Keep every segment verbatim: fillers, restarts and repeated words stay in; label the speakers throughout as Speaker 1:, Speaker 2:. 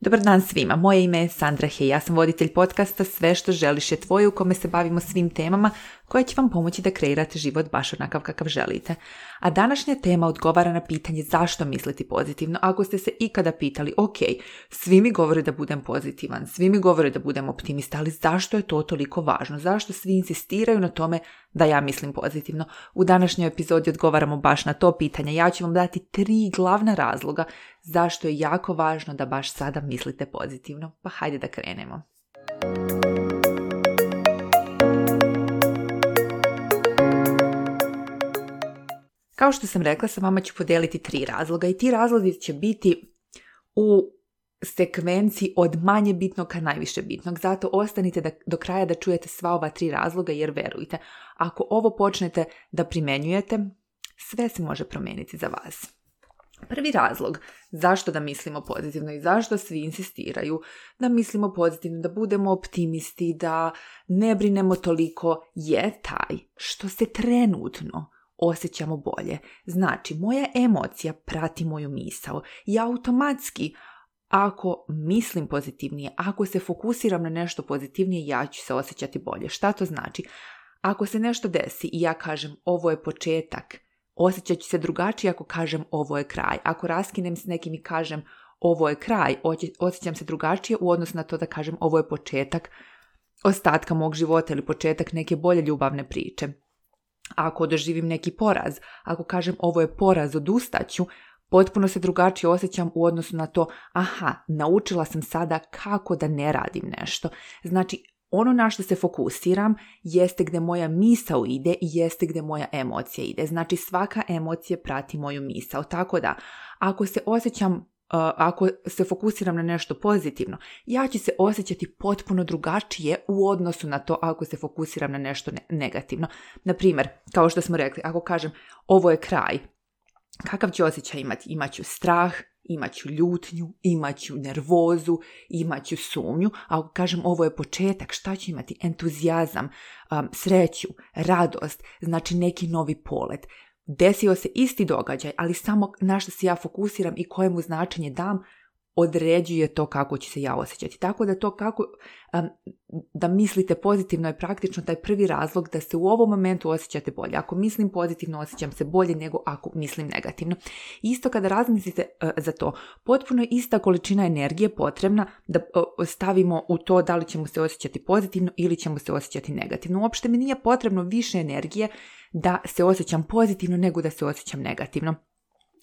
Speaker 1: Dobar dan svima, moje ime je Sandra Hej, ja sam voditelj podcasta Sve što želiš je tvoje u kome se bavimo svim temama koje će vam pomoći da kreirate život baš onakav kakav želite. A današnja tema odgovara na pitanje zašto misliti pozitivno. Ako ste se ikada pitali, ok, svi mi govore da budem pozitivan, svi mi govore da budem optimista, ali zašto je to toliko važno? Zašto svi insistiraju na tome da ja mislim pozitivno? U današnjoj epizodi odgovaramo baš na to pitanje. Ja ću vam dati tri glavna razloga zašto je jako važno da baš sada mislite pozitivno. Pa hajde da krenemo. Kao što sam rekla, sa vama ću podijeliti tri razloga i ti razlozi će biti u sekvenciji od manje bitnog ka najviše bitnog. Zato ostanite da, do kraja da čujete sva ova tri razloga, jer verujte, ako ovo počnete da primenjujete, sve se može promijeniti za vas. Prvi razlog zašto da mislimo pozitivno i zašto svi insistiraju da mislimo pozitivno, da budemo optimisti, da ne brinemo toliko, je taj što se trenutno osjećamo bolje. Znači, moja emocija prati moju misao i automatski, ako mislim pozitivnije, ako se fokusiram na nešto pozitivnije, ja ću se osjećati bolje. Šta to znači? Ako se nešto desi i ja kažem ovo je početak, osjećat ću se drugačije ako kažem ovo je kraj. Ako raskinem s nekim i kažem ovo je kraj, osjećam se drugačije u odnosu na to da kažem ovo je početak ostatka mog života ili početak neke bolje ljubavne priče. Ako doživim neki poraz, ako kažem ovo je poraz, odustaću, potpuno se drugačije osjećam u odnosu na to, aha, naučila sam sada kako da ne radim nešto. Znači, ono na što se fokusiram jeste gdje moja misao ide i jeste gdje moja emocija ide. Znači, svaka emocija prati moju misao. Tako da, ako se osjećam Uh, ako se fokusiram na nešto pozitivno, ja ću se osjećati potpuno drugačije u odnosu na to ako se fokusiram na nešto ne- negativno. Naprimjer, kao što smo rekli, ako kažem ovo je kraj, kakav ću osjećaj imati? Imaću strah, imaću ljutnju, imaću nervozu, imaću sumnju. A ako kažem ovo je početak, šta ću imati? Entuzijazam, um, sreću, radost, znači neki novi polet. Desio se isti događaj, ali samo na što se ja fokusiram i kojemu značenje dam, određuje to kako ću se ja osjećati. Tako da to kako um, da mislite pozitivno je praktično taj prvi razlog da se u ovom momentu osjećate bolje. Ako mislim pozitivno, osjećam se bolje nego ako mislim negativno. Isto kada razmislite uh, za to, potpuno je ista količina energije potrebna da uh, stavimo u to da li ćemo se osjećati pozitivno ili ćemo se osjećati negativno. Uopšte mi nije potrebno više energije da se osjećam pozitivno nego da se osjećam negativno.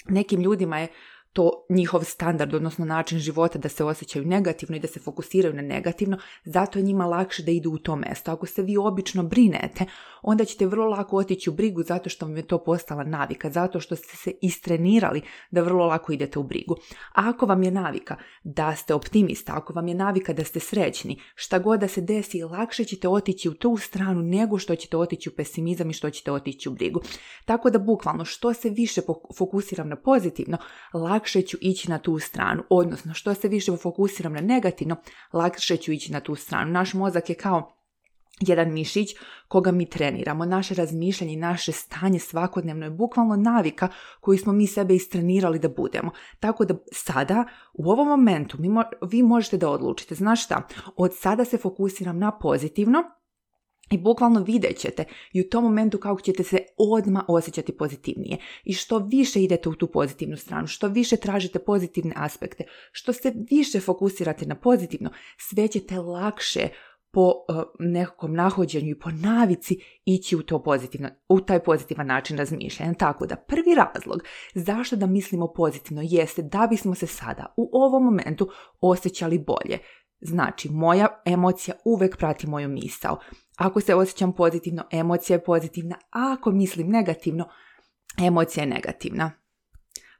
Speaker 1: Nekim ljudima je to njihov standard, odnosno način života da se osjećaju negativno i da se fokusiraju na negativno, zato je njima lakše da idu u to mesto. Ako se vi obično brinete, onda ćete vrlo lako otići u brigu zato što vam je to postala navika, zato što ste se istrenirali da vrlo lako idete u brigu. A ako vam je navika da ste optimista, ako vam je navika da ste srećni, šta god da se desi, lakše ćete otići u tu stranu nego što ćete otići u pesimizam i što ćete otići u brigu. Tako da bukvalno što se više fokusiram na pozitivno, lakše lakše ću ići na tu stranu, odnosno što se više fokusiram na negativno, lakše ću ići na tu stranu. Naš mozak je kao jedan mišić koga mi treniramo. Naše razmišljanje i naše stanje svakodnevno je bukvalno navika koju smo mi sebe istrenirali da budemo. Tako da sada, u ovom momentu, mi mo- vi možete da odlučite, znaš šta, od sada se fokusiram na pozitivno, i bukvalno vidjet ćete i u tom momentu kako ćete se odmah osjećati pozitivnije. I što više idete u tu pozitivnu stranu, što više tražite pozitivne aspekte, što se više fokusirate na pozitivno, sve ćete lakše po uh, nekakvom nahođenju i po navici ići u, to pozitivno, u taj pozitivan način razmišljanja. Tako da prvi razlog zašto da mislimo pozitivno jeste da bismo se sada u ovom momentu osjećali bolje. Znači, moja emocija uvek prati moju misao. Ako se osjećam pozitivno, emocija je pozitivna, a ako mislim negativno, emocija je negativna.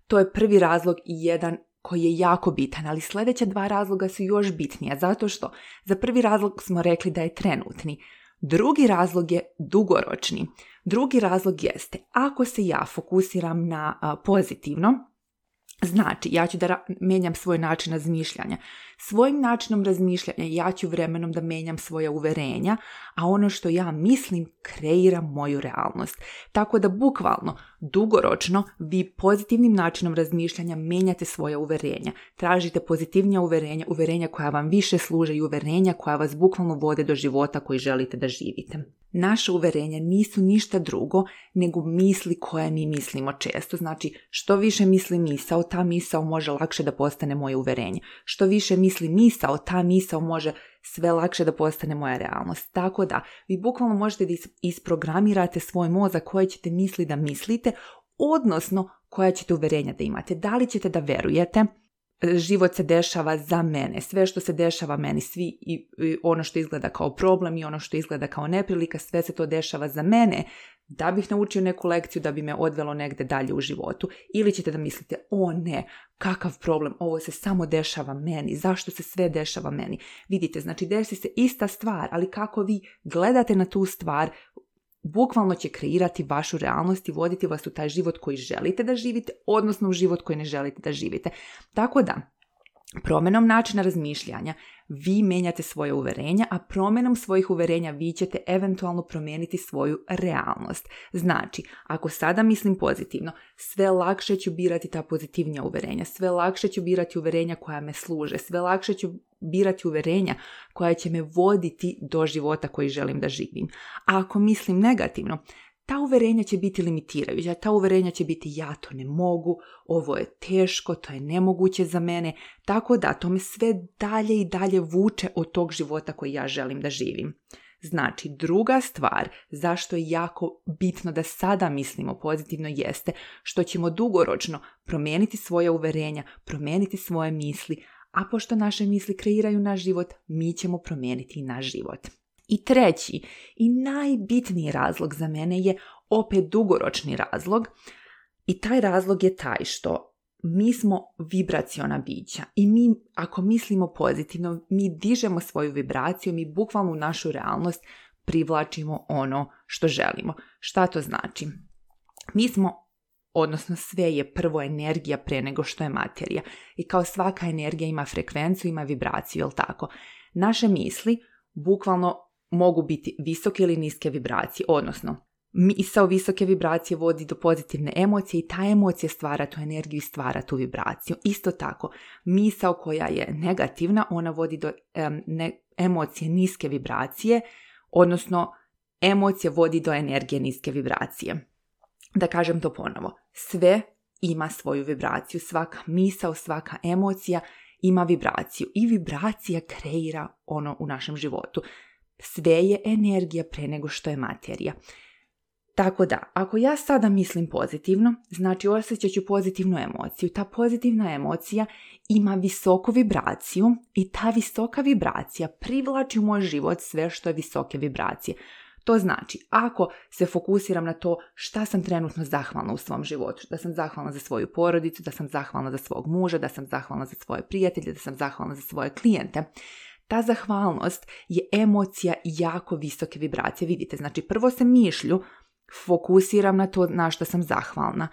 Speaker 1: To je prvi razlog i jedan koji je jako bitan, ali sljedeća dva razloga su još bitnija, zato što za prvi razlog smo rekli da je trenutni. Drugi razlog je dugoročni. Drugi razlog jeste, ako se ja fokusiram na a, pozitivno, Znači, ja ću da ra- menjam svoj način razmišljanja. Svojim načinom razmišljanja ja ću vremenom da menjam svoja uverenja, a ono što ja mislim kreira moju realnost. Tako da bukvalno, dugoročno, vi pozitivnim načinom razmišljanja menjate svoja uverenja. Tražite pozitivnija uverenja, uverenja koja vam više služe i uverenja koja vas bukvalno vode do života koji želite da živite. Naše uverenja nisu ništa drugo nego misli koje mi mislimo često. Znači, što više misli misao, ta misao može lakše da postane moje uverenje. Što više misli misao, ta misao može sve lakše da postane moja realnost. Tako da, vi bukvalno možete da isprogramirate svoj mozak koje ćete misli da mislite, odnosno koja ćete uverenja da imate. Da li ćete da verujete, život se dešava za mene, sve što se dešava meni, svi i, i ono što izgleda kao problem i ono što izgleda kao neprilika, sve se to dešava za mene, da bih naučio neku lekciju da bi me odvelo negde dalje u životu. Ili ćete da mislite, o ne, kakav problem, ovo se samo dešava meni, zašto se sve dešava meni. Vidite, znači desi se ista stvar, ali kako vi gledate na tu stvar, bukvalno će kreirati vašu realnost i voditi vas u taj život koji želite da živite, odnosno u život koji ne želite da živite. Tako da, promjenom načina razmišljanja vi menjate svoje uverenja, a promjenom svojih uverenja vi ćete eventualno promijeniti svoju realnost. Znači, ako sada mislim pozitivno, sve lakše ću birati ta pozitivnija uverenja, sve lakše ću birati uverenja koja me služe, sve lakše ću birati uverenja koja će me voditi do života koji želim da živim. A ako mislim negativno, ta uverenja će biti limitirajuća, ta uverenja će biti ja to ne mogu, ovo je teško, to je nemoguće za mene, tako da to me sve dalje i dalje vuče od tog života koji ja želim da živim. Znači, druga stvar zašto je jako bitno da sada mislimo pozitivno jeste što ćemo dugoročno promijeniti svoje uverenja, promijeniti svoje misli, a pošto naše misli kreiraju naš život, mi ćemo promijeniti i naš život. I treći i najbitniji razlog za mene je opet dugoročni razlog i taj razlog je taj što mi smo vibraciona bića i mi ako mislimo pozitivno, mi dižemo svoju vibraciju, mi bukvalno u našu realnost privlačimo ono što želimo. Šta to znači? Mi smo, odnosno sve je prvo energija pre nego što je materija i kao svaka energija ima frekvenciju, ima vibraciju, jel tako? Naše misli bukvalno mogu biti visoke ili niske vibracije, odnosno misao visoke vibracije vodi do pozitivne emocije i ta emocija stvara tu energiju i stvara tu vibraciju. Isto tako, misao koja je negativna, ona vodi do um, ne, emocije niske vibracije, odnosno emocija vodi do energije niske vibracije. Da kažem to ponovo, sve ima svoju vibraciju, svaka misao, svaka emocija ima vibraciju i vibracija kreira ono u našem životu. Sve je energija pre nego što je materija. Tako da, ako ja sada mislim pozitivno, znači osjećat ću pozitivnu emociju. Ta pozitivna emocija ima visoku vibraciju i ta visoka vibracija privlači u moj život sve što je visoke vibracije. To znači, ako se fokusiram na to šta sam trenutno zahvalna u svom životu, da sam zahvalna za svoju porodicu, da sam zahvalna za svog muža, da sam zahvalna za svoje prijatelje, da sam zahvalna za svoje klijente, ta zahvalnost je emocija jako visoke vibracije. Vidite, znači prvo se mišlju fokusiram na to na što sam zahvalna.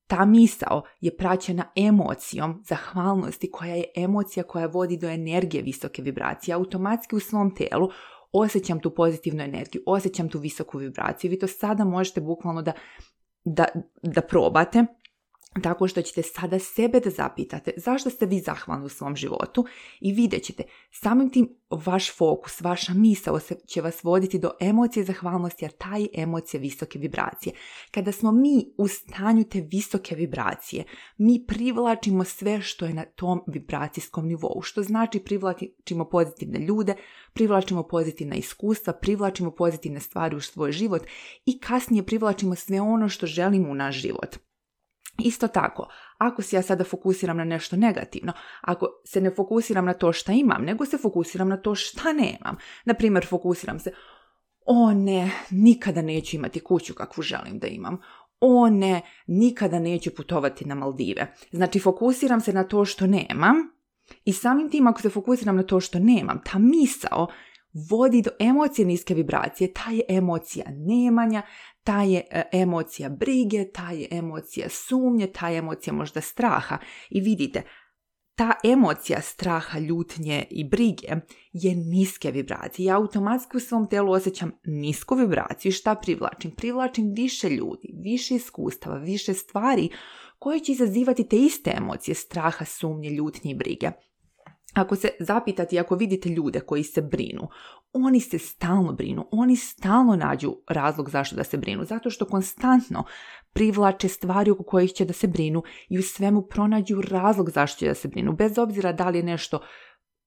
Speaker 1: Ta misao je praćena emocijom zahvalnosti koja je emocija koja vodi do energije visoke vibracije. Automatski u svom telu osjećam tu pozitivnu energiju, osjećam tu visoku vibraciju. Vi to sada možete bukvalno da, da, da probate. Tako što ćete sada sebe da zapitate zašto ste vi zahvalni u svom životu i vidjet ćete samim tim vaš fokus, vaša misao će vas voditi do emocije zahvalnosti, jer ta je emocija visoke vibracije. Kada smo mi u stanju te visoke vibracije, mi privlačimo sve što je na tom vibracijskom nivou, što znači privlačimo pozitivne ljude, privlačimo pozitivna iskustva, privlačimo pozitivne stvari u svoj život i kasnije privlačimo sve ono što želimo u naš život. Isto tako, ako se ja sada fokusiram na nešto negativno, ako se ne fokusiram na to šta imam, nego se fokusiram na to šta nemam. Naprimjer, fokusiram se, o ne, nikada neću imati kuću kakvu želim da imam. O ne, nikada neću putovati na Maldive. Znači, fokusiram se na to što nemam i samim tim ako se fokusiram na to što nemam, ta misao vodi do emocije niske vibracije. Ta je emocija nemanja, ta je e, emocija brige, ta je emocija sumnje, ta je emocija možda straha. I vidite, ta emocija straha, ljutnje i brige je niske vibracije. Ja automatski u svom telu osjećam nisku vibraciju. Šta privlačim? Privlačim više ljudi, više iskustava, više stvari koje će izazivati te iste emocije straha, sumnje, ljutnje i brige. Ako se zapitate i ako vidite ljude koji se brinu, oni se stalno brinu, oni stalno nađu razlog zašto da se brinu, zato što konstantno privlače stvari oko kojih će da se brinu i u svemu pronađu razlog zašto će da se brinu, bez obzira da li je nešto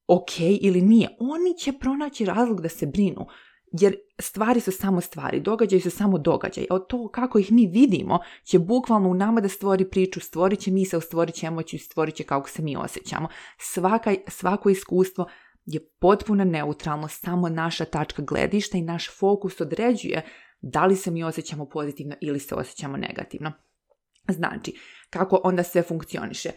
Speaker 1: ok ili nije. Oni će pronaći razlog da se brinu, jer stvari su samo stvari, događaji su samo događaji. A to kako ih mi vidimo će bukvalno u nama da stvori priču, stvorit će misao, stvorit će emociju, stvorit će kako se mi osjećamo. Svaka, svako iskustvo je potpuno neutralno, samo naša tačka gledišta i naš fokus određuje da li se mi osjećamo pozitivno ili se osjećamo negativno. Znači, kako onda sve funkcioniše?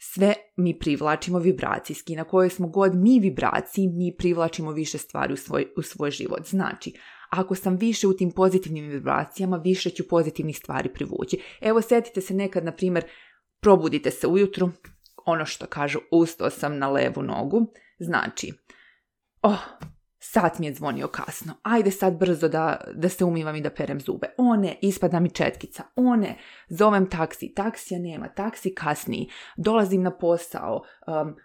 Speaker 1: Sve mi privlačimo vibracijski. Na kojoj smo god mi vibraciji, mi privlačimo više stvari u svoj, u svoj život. Znači, ako sam više u tim pozitivnim vibracijama, više ću pozitivnih stvari privući. Evo, sjetite se nekad, na primjer, probudite se ujutru, ono što kažu, ustao sam na levu nogu, znači, oh, sat mi je zvonio kasno, ajde sad brzo da, da se umivam i da perem zube. O ne, ispada mi četkica. O ne, zovem taksi, taksija nema, taksi kasni, dolazim na posao, um,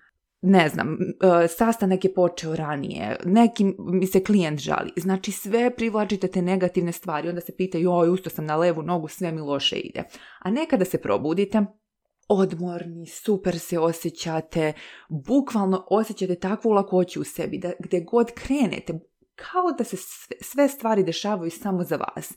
Speaker 1: ne znam, uh, sastanak je počeo ranije, neki mi se klijent žali. Znači sve privlačite te negativne stvari, onda se pitaju, oj, ustao sam na levu nogu, sve mi loše ide. A nekada se probudite, odmorni, super se osjećate, bukvalno osjećate takvu lakoću u sebi da gdje god krenete, kao da se sve, sve stvari dešavaju samo za vas.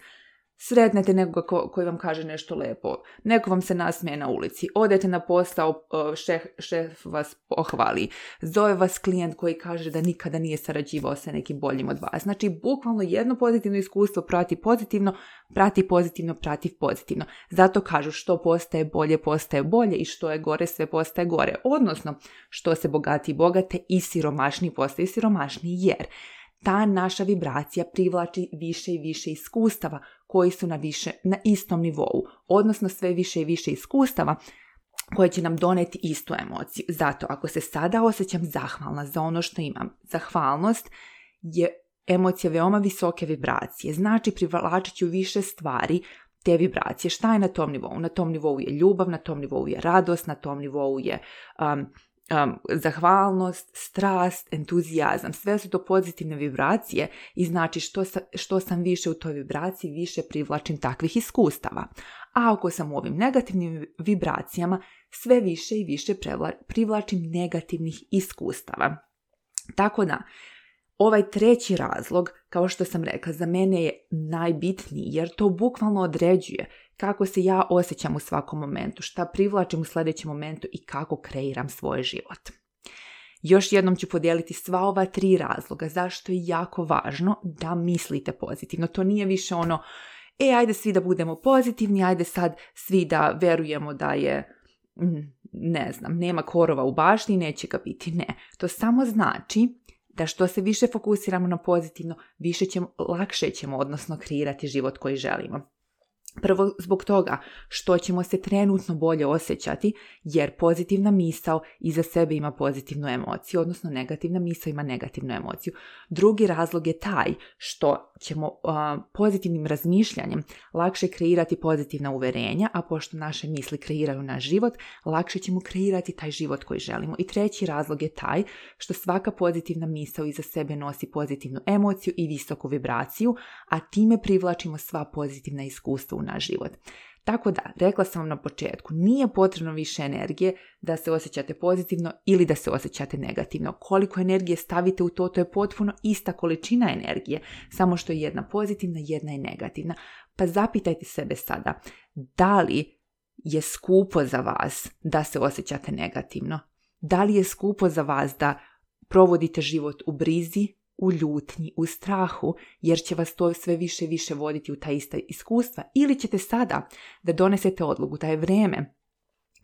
Speaker 1: Sretnete nekoga ko, koji vam kaže nešto lepo, neko vam se nasmije na ulici, odete na posao, šef, šef vas pohvali, zove vas klijent koji kaže da nikada nije sarađivao sa nekim boljim od vas. Znači, bukvalno jedno pozitivno iskustvo prati pozitivno, prati pozitivno, prati pozitivno. Zato kažu što postaje bolje, postaje bolje i što je gore, sve postaje gore. Odnosno, što se bogati i bogate i siromašniji postaju siromašniji, jer ta naša vibracija privlači više i više iskustava koji su na, više, na istom nivou, odnosno sve više i više iskustava koje će nam doneti istu emociju. Zato ako se sada osjećam zahvalna za ono što imam, zahvalnost je emocija veoma visoke vibracije, znači privlačit ću više stvari te vibracije. Šta je na tom nivou? Na tom nivou je ljubav, na tom nivou je radost, na tom nivou je um, Um, zahvalnost, strast, entuzijazam, sve su to pozitivne vibracije i znači što, sa, što sam više u toj vibraciji, više privlačim takvih iskustava. A ako sam u ovim negativnim vibracijama, sve više i više prevla, privlačim negativnih iskustava. Tako da, ovaj treći razlog, kao što sam rekla, za mene je najbitniji jer to bukvalno određuje kako se ja osjećam u svakom momentu, šta privlačim u sljedećem momentu i kako kreiram svoj život. Još jednom ću podijeliti sva ova tri razloga zašto je jako važno da mislite pozitivno. To nije više ono, e, ajde svi da budemo pozitivni, ajde sad svi da verujemo da je, ne znam, nema korova u bašti i neće ga biti. Ne, to samo znači da što se više fokusiramo na pozitivno, više ćemo, lakše ćemo, odnosno kreirati život koji želimo. Prvo zbog toga što ćemo se trenutno bolje osjećati, jer pozitivna misao iza sebe ima pozitivnu emociju, odnosno negativna misao ima negativnu emociju. Drugi razlog je taj što ćemo uh, pozitivnim razmišljanjem lakše kreirati pozitivna uverenja, a pošto naše misli kreiraju naš život, lakše ćemo kreirati taj život koji želimo. I treći razlog je taj što svaka pozitivna misao iza sebe nosi pozitivnu emociju i visoku vibraciju, a time privlačimo sva pozitivna iskustva u naš život. Tako da, rekla sam vam na početku, nije potrebno više energije da se osjećate pozitivno ili da se osjećate negativno. Koliko energije stavite u to, to je potpuno ista količina energije, samo što je jedna pozitivna, jedna je negativna. Pa zapitajte sebe sada, da li je skupo za vas da se osjećate negativno? Da li je skupo za vas da provodite život u brizi, u ljutnji, u strahu, jer će vas to sve više i više voditi u ta ista iskustva, ili ćete sada da donesete odluku da je vrijeme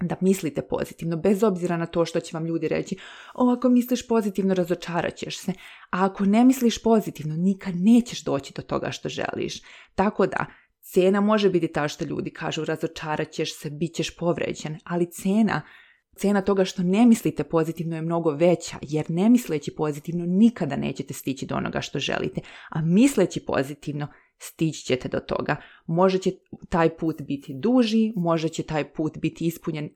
Speaker 1: da mislite pozitivno, bez obzira na to što će vam ljudi reći, o, ako misliš pozitivno, razočarat ćeš se, a ako ne misliš pozitivno, nikad nećeš doći do toga što želiš. Tako da, cena može biti ta što ljudi kažu, razočarat ćeš se, bit ćeš povređen, ali cena, cena toga što ne mislite pozitivno je mnogo veća, jer ne misleći pozitivno nikada nećete stići do onoga što želite, a misleći pozitivno stići ćete do toga. Može će taj put biti duži, može će taj put biti ispunjen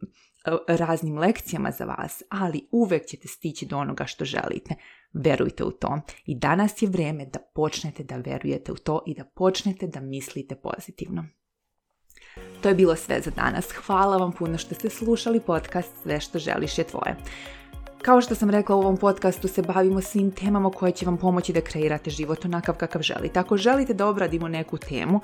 Speaker 1: raznim lekcijama za vas, ali uvek ćete stići do onoga što želite. Verujte u to. I danas je vrijeme da počnete da verujete u to i da počnete da mislite pozitivno. To je bilo sve za danas. Hvala vam puno što ste slušali podcast Sve što želiš je tvoje. Kao što sam rekla, u ovom podcastu se bavimo svim temama koje će vam pomoći da kreirate život onakav kakav želite. Ako želite da obradimo neku temu,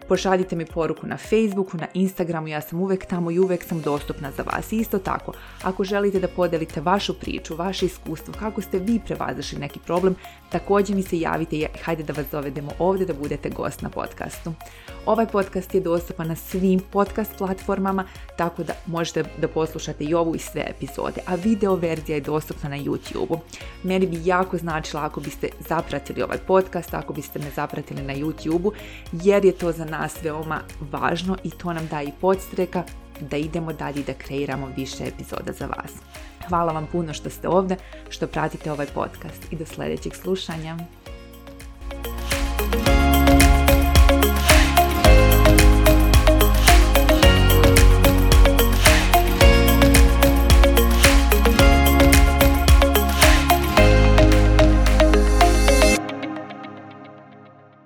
Speaker 1: pošaljite mi poruku na Facebooku, na Instagramu, ja sam uvek tamo i uvek sam dostupna za vas. I isto tako, ako želite da podelite vašu priču, vaše iskustvo, kako ste vi prevazišli neki problem, također mi se javite i hajde da vas dovedemo ovdje da budete gost na podcastu. Ovaj podcast je dostupan na svim podcast platformama, tako da možete da poslušate i ovu i sve epizode, a video verzija je dostupna na YouTube-u. Meni bi jako značilo ako biste zapratili ovaj podcast, ako biste me zapratili na YouTube-u, jer je to za nas veoma važno i to nam daje i podstreka da idemo dalje i da kreiramo više epizoda za vas. Hvala vam puno što ste ovdje, što pratite ovaj podcast i do sljedećeg slušanja.